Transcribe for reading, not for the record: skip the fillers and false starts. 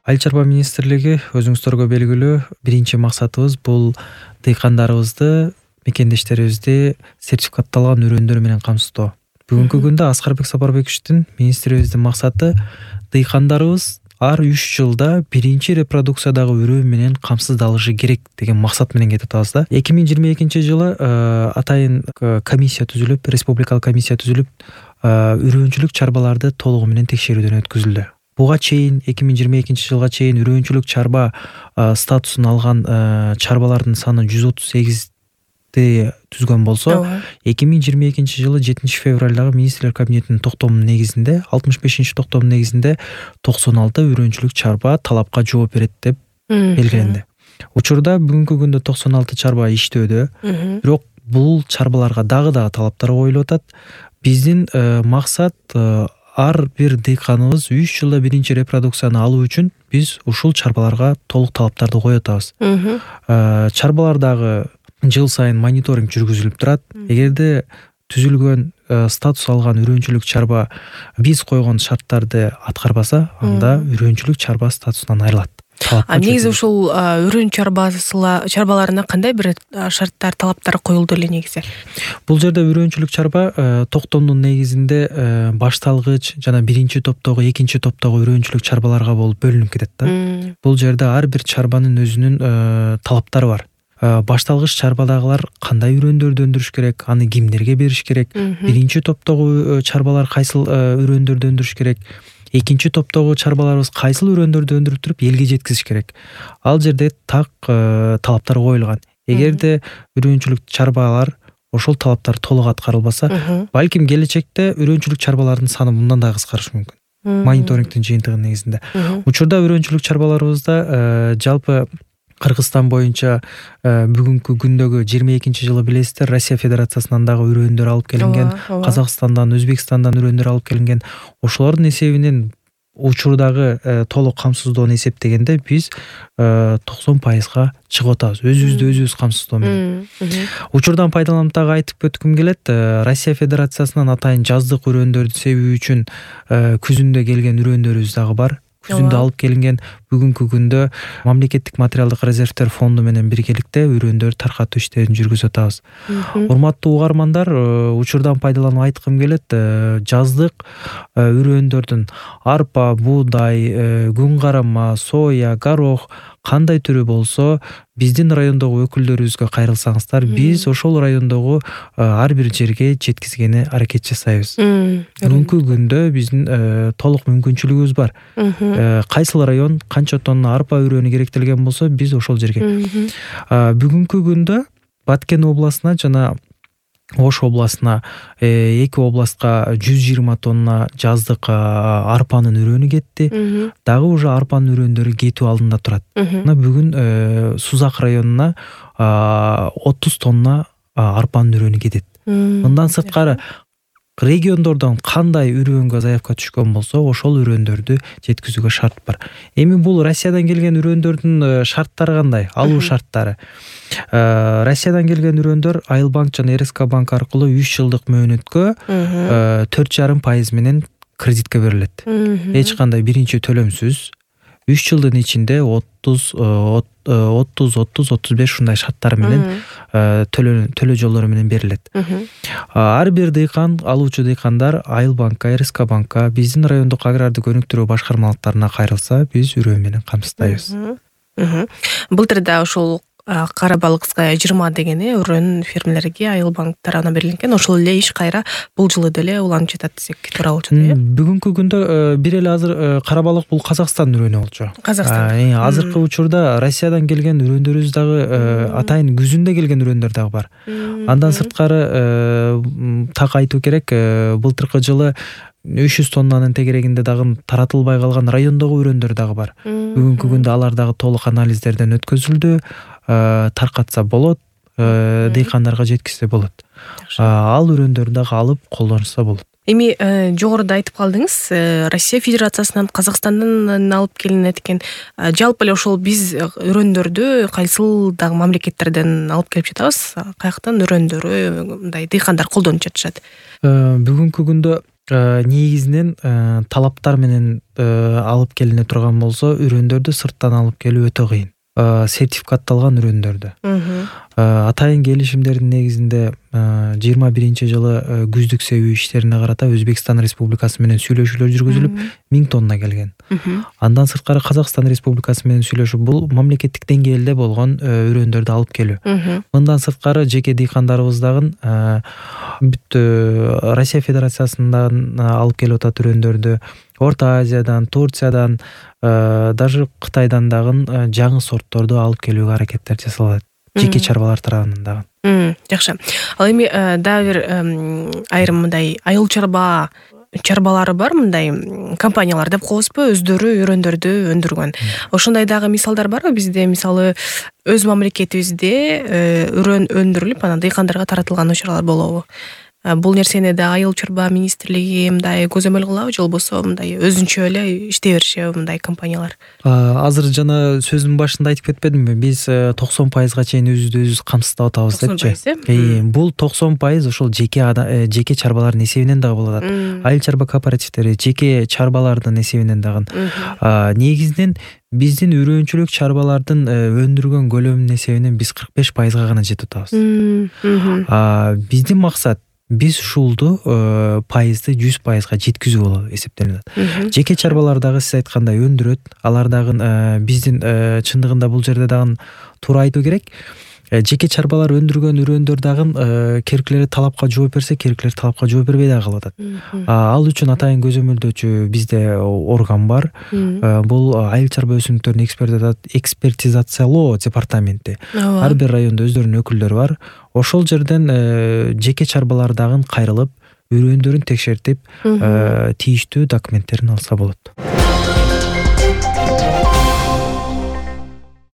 Айыл чарба министрлиги өзүңүздөргө белгилүү биринчи максатыбыз бул дыйкандарыбызды, мекендештерибизди сертификатталган үрөндөр менен камсыздоо. Бүгүнкү күндө Аскарбек Сапарбековичтин министрибиздин максаты дыйкандарыбыз ар 3 жылда биринчи репродукциядагы үрөө менен камсыздалышы керек деген максат менен кетип атабыз да. 2022-жылы атайын комиссия түзүлүп, республикалык комиссия түзүлүп, үрөөнчүлүк чарбаларды толугу менен текшерүүдөн өткөзүлдү. Буга чейин 2022-жылга чейин үрөөнчүлүк чарба статусун алган чарбалардын саны 138 түзгөн болсо, 2022-жылы 7-февралдагы министрлер кабинетинин токтомунун негизинде, 65-токтомунун негизинде 96 үрөөнчүлүк чарба талапка жооп берет деп белгиленди. Учурда бүгүнкү күндө 96 чарба иштөөдө, бирок бул чарбаларга дагы талаптар коюлуп атат. Биздин максат ар бир дыйканыбыз 3 жылда биринчи репродукцияны алуу үчүн биз ушул чарбаларга толук талаптарды коюп атабыз. Чарбалардагы жыл сайын мониторинг жүргүзүлүп турат. Эгерде түзүлгөн статус алган үрөөнчүлүк чарба биз койгон шарттарды аткарбаса, анда үрөөнчүлүк чарба статусунан айрылат. Негизи ушул үрөөн чарбаларына кандай бир шарттар, талаптар коюлду эле негизи? Бул жерде үрөөнчүлүк чарба токтомдун негизинде башталгыч жана биринчи топтогу, экинчи топтогу үрөөнчүлүк чарбаларга болуп бөлүнүп кетет да. Бул жерде ар бир чарбанын өзүнүн талаптары бар. Башталгыч чарбадагылар кандай үрөөндөрдү өндүрүш керек, аны кимдерге бериш керек, биринчи топтогу чарбалар кайсыл үрөөндөрдү өндүрүш керек, экинчи топтогу чарбаларыбыз кайсыл үрөөндөрдү өндүрүп туруп элге жеткизиш керек. Ал жерде так талаптар коюлган. Эгерде үрөөнчүлүк чарбалар ошол талаптар толук аткарылбаса, балким келечекте үрөөнчүлүк чарбалардын саны мындан да кыскарышы мүмкүн. Мониторингдин жыйынтыгынын негизинде. Учурда үрөөнчүлүк чарбаларыбызда жалпы Кыргызстан боюнча бүгүнкү күндөгү 22-жылы билесиздер, Россия Федерациясынан дагы үрөөөндөр алып келинген, Казакстандан, Өзбекстандан үрөөөндөр алып келинген. Ошолордун эсебинен учурдагы толук камсыздоону эсептегенде биз 90%га чыгып атабыз. Өзүбүздү өзүбүз камсыздоо менен. Учурдан пайдаланып дагы айтып өткүм келет. Россия Федерациясынан атайын жаздык үрөөндөрдү себүү үчүн күзүндө келген үрөөндөрүбүз дагы бар. Күзүндө алып келинген. Бүгүнкү күндө мамлекеттик материалдык резервдер фонду менен биргеликте үрөөндөрдү таркатуу иштерин жүргүзүп атабыз. Урматтуу угармандар, учурдан пайдаланып айткым келет, жаздык үрөөндөрдүн арпа, буудай, күн карама, соя, горох кандай түрү болсо, биздин райондогу өкүлдөрүбүзгө кайрылсаңыздар, биз ошол райондогу ар бир жерге жеткизгени аракет жасайбыз. Бүгүнкү күндө биздин толук мүмкүнчүлүгүбүз бар. Кайсыл район канча тонна арпа үрөөнү керектелген болсо, биз ошол жерге. Бүгүнкү күндө Баткен областына жана Ош областына, эки областка 120 тонна жаздык арпанын үрөөнү кетти. Дагы уже арпанын үрөөндөрү кетүү алдында турат. Мына бүгүн Сузак районуна 30 тонна арпанын үрөөнү кетет. Мындан сырткары региондордон кандай үрөөнгө заявка түшкөн болсо, ошол үрөөндөрдү жеткизүүгө шарт бар. Эми бул Россиядан келген үрөөндөрдүн шарттары кандай? Алуу шарттары. Россиядан келген үрөөндөр Айыл банк жана РСК банк аркылуу 3 жылдык мөөнөткө 4,5% менен кредитке берилет. Эч кандай биринчи төлөмсүз 3 жылдын ичинде 30-35 ушундай шарттар менен төлөө жолдору менен берилет. Ар бир дыйкан, алуучу дыйкандар Айыл банкка, РСК банкка, биздин райондук агрардык өнүктүрүү башкармалыктарына кайрылса, биз үрөө менен камсыздайбыз. Былтырда ошол Карабалыкская 20 деген өрөөн фермелерге Айыл банк тарабынан берилген. Ошол эле иш кайра бул жылы деле уланып жатат десек туура болчу да. Бүгүнкү күндө бир эле азыр Карабалык бул Казакстан үрөөнү болчу. Казакстан. Азыркы учурда Россиядан келген үрөөндөрүбүз дагы атайын күзүндө келген үрөөөндөр дагы бар. Андан сырткары так айтуу керек, былтыркы жылы 300 тоннанын тегерегинде дагы таратылбай калган райондогу үрөөндөр дагы бар. Бүгүнкү күндө алар дагы толук анализдерден өткөзүлдү. Таркатса болот, дыйкандарга жеткизсе болот. Ал үрөөндөрдү дагы алып колдонушса болот. Эми жогоруда айтып калдыңыз, Россия Федерациясынан, Казакстандан алып келинет экен. Жалпы эле ошол биз үрөөндөрдү кайсыл дагы мамлекеттерден алып келип жатабыз? Каяктан үрөөндөрү мындай дыйкандар колдонуп жатышат? Бүгүнкү күндө негизинен талаптар менен алып келине турган болсо үрөндөрдү сырттан алып келүү өтө кыйын. Сертификатталган үрөндөрдү. Атайын келишимдердин негизинде 21-жылы күздүк себүү иштерине карата Өзбекстан Республикасы менен сүйлөшүүлөр жүргүзүлүп 1000 тонна келген. Андан сырткары Казакстан Республикасы менен сүйлөшүү бул мамлекеттик деңгээлде болгон үрөндөрдү алып келүү. Мындан сырткары жеке дыйкандарыбыз дагы бүт Россия Федерациясынан алып келип атат үрөндөрдү. Орто Азиядан, Турциядан, даже Кытайдан дагы жаңы сортторду алып келүүгө аракеттер жасалат. Жеке чарбалар тарабынан дагы. Жакшы. Ал эми дагы бир айрым мындай айыл чарбалары бар, мындай компаниялар деп коебузбу, өздөрү үрөндөрдү өндүргөн. Ошондой дагы мисалдар барбы бизде? Мисалы, өз мамлекетибизде үрөн өндүрүлүп, анан дыйкандарга таратылган учурлар болобу? Бул нерсени да айыл чарба министрлиги мындай көзөмөл кылабы, же болбосо мындай өзүнчө эле иштей беришеби мындай компаниялар? Азыр жана сөзүмдүн башында айтып кетпедимби? Биз 90% чейин өзүбүз камсыздап атабыз депчи. Бул 90% ошол жеке чарбалардын эсебинен дагы болот. Айыл чарба кооперативдери жеке чарбалардын эсебинен дагы. Негизинен биздин үрөөнчүлүк чарбалардын өндүргөн көлөмүнүн эсебинен биз 45% гана жетип атабыз. Биздин максат биз ушулду пайызды 100%га жеткизүү болуп эсептелет. Жеке чарбалар дагы сиз айткандай өндүрөт. Алар дагы биздин чындыгында бул жерде дагы туура айтуу керек. Жеке чарбалар өндүргөн үрөндөр дагы керектелер талапка жооп берсе, керектелер талапка жооп бербей дагы калып атат. Ал үчүн атайын көзөмөлдөөчү бизде орган бар. Бул айыл чарба өсүмдүктөрүн экспертизациялоо департаменти. Ар бир райондо өздөрүнүн өкүлдөрү бар. Ошол жерден жеке чарбалар дагы кайрылып, үрөндөрүн текшертип, тийиштүү документтерин алса болот.